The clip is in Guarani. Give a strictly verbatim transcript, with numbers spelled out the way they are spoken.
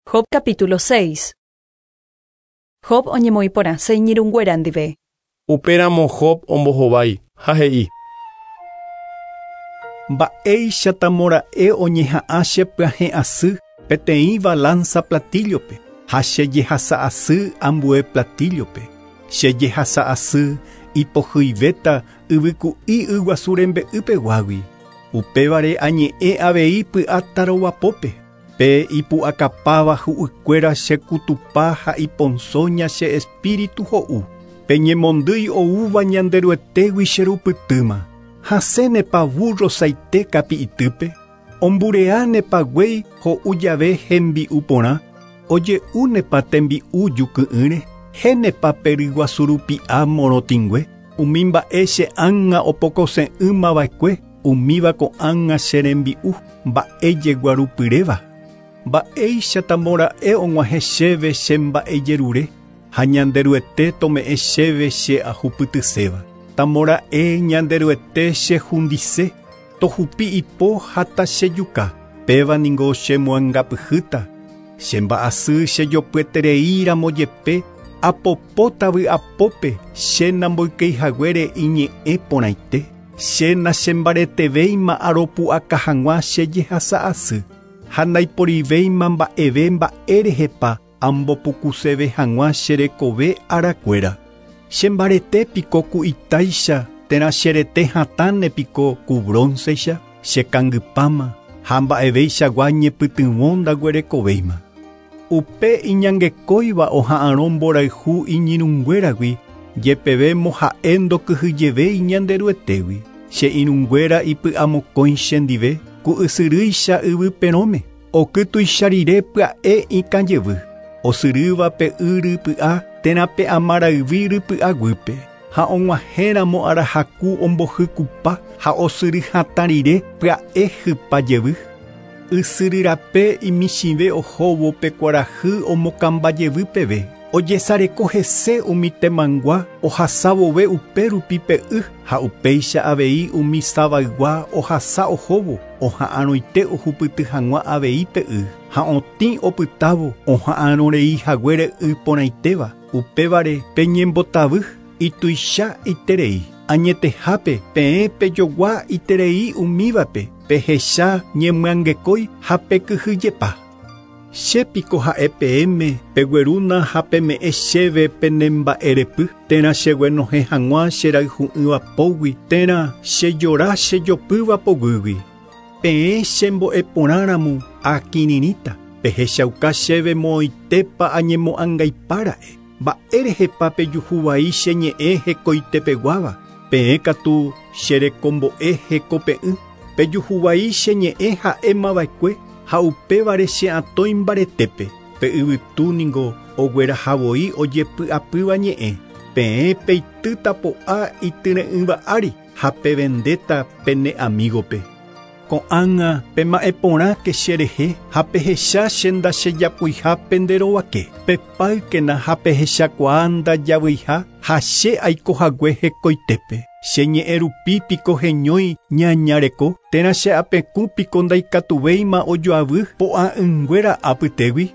Job capítulo seis. Job oñemoĩporãse iñirũnguéra ndive. Upéramo Job ombohovái ha he'i. Mba'éichatamora'e oñeha'ã chepyahẽ'asy peteĩ balanza platillo-pe ha chejehasa'asy ambue platillo-pe. Chejehasa'asy ipohyivéta yvyku'i yguasu rembe'ypeguágui. Upévare añe'ẽ avei py'atarovapópe. Pe ipu'akapáva hu'ykuéra chekutupa ha iponsóña che espíritu ho'u. Peñemondýi oúva Ñanderuetégui cherupytýma. Hasẽnepa burro saite kapi'itýpe. Ombureánepa guéi ho'u jave hembi'u porã. Oje'únepa tembi'u juky'ỹre. Hénepa pe ryguasurupi'a morotĩngue. Umi mba'e che ág̃a opokose'ỹmava'ekue. Umíva ko'ág̃a che rembi'u mba'e jeguarupyréva. Mba'éichatamora'e og̃uahẽ chéve che mba'ejerure ha Ñanderuete tome'ẽ chéve che ahupytyséva. Tamora'e Ñanderuete chehundise, tohupi ipo ha tachejuka. Péva ningo chemoangapyhýta. Che mba'asy chejopyetereíramo jepe apopóta vy'apópe che namboykeihaguére iñe'ẽ porãite. Che nachembaretevéima aropu'aka hag̃ua che jehasa'asy. Ha ndaiporivéima mba'eve mba'érehepa ambopukuseve hag̃ua che rekove arakuéra. Chembarete piko ku itáicha térã cherete hatãne piko ku broncecha, chekangypáma ha mba'evéichagua ñepytyvõ ndaguerekovéima. Upe iñangekóiva oha'arõ mborayhu iñirũnguéragui jepeve moha'e ndokyhyjevéi Ñanderuetégui. Che irũnguéra ipy'amokõi chendive ku ysyrýicha yvyperõme. Oky tuicharire pya'e ikãjevy. Osyrýva pe y rypy'a térã pe amarayvi rypy'aguýpe. Ha og̃uahẽramo arahaku ombohykupa ha osyry hatã rire pya'e hypa jevy. Ysyryrape imichĩve ohóvo pe kuarahy omokambajevy peve. Ojesareko hese umi temangua ohasavove upérupi pe y ha upéicha avei umi savaygua ohasa ohóvo oha'arõite ohupyty hag̃ua avei pe y ha otĩ opytávo oha'arõrei haguére y porãitéva. Upévare peñembotavy ituicha iterei. Añetehápe peẽ pejogua iterei umívape pehecha ñemyangekói ha pekyhyjepa. Che piko ha'e peẽme peguerúna ha peme'ẽ chéve penemba'erepy térã cheguenohẽ hag̃ua cherayhu'ỹva pógui térã chejora chejopýva poguýgui. Peẽ chembo'eporãramo akirirĩta pehechauka chéve moõitépa añemo'ãngaipára'e. Mba'érehepa pejuhuvai che ñe'ẽ hekoitepeguáva. Peẽ katu cherekombo'e hekope'ỹ. Pejuhuvai che ñe'ẽ ha'émava'ekue ha upévare che atõi mbaretépe. Pe yvytu ningo oguerahavoi ojepy'apýva ñe'ẽ. Peẽ peitýta po'a ityre'ỹva ári ha pevendéta pene amigope. Ko'ág̃a pema'ẽporãke cherehe ha pehecha che ndachejapuiha penderovake. Pepáykena ha pehechakuaa ndajavyiha ha che aikohague hekoitépe. Che ñe'ẽ rupi piko heñói ñañareko térã che apekũ piko ndaikatuvéima ojoavy po'a'ỹnguéra apytégui.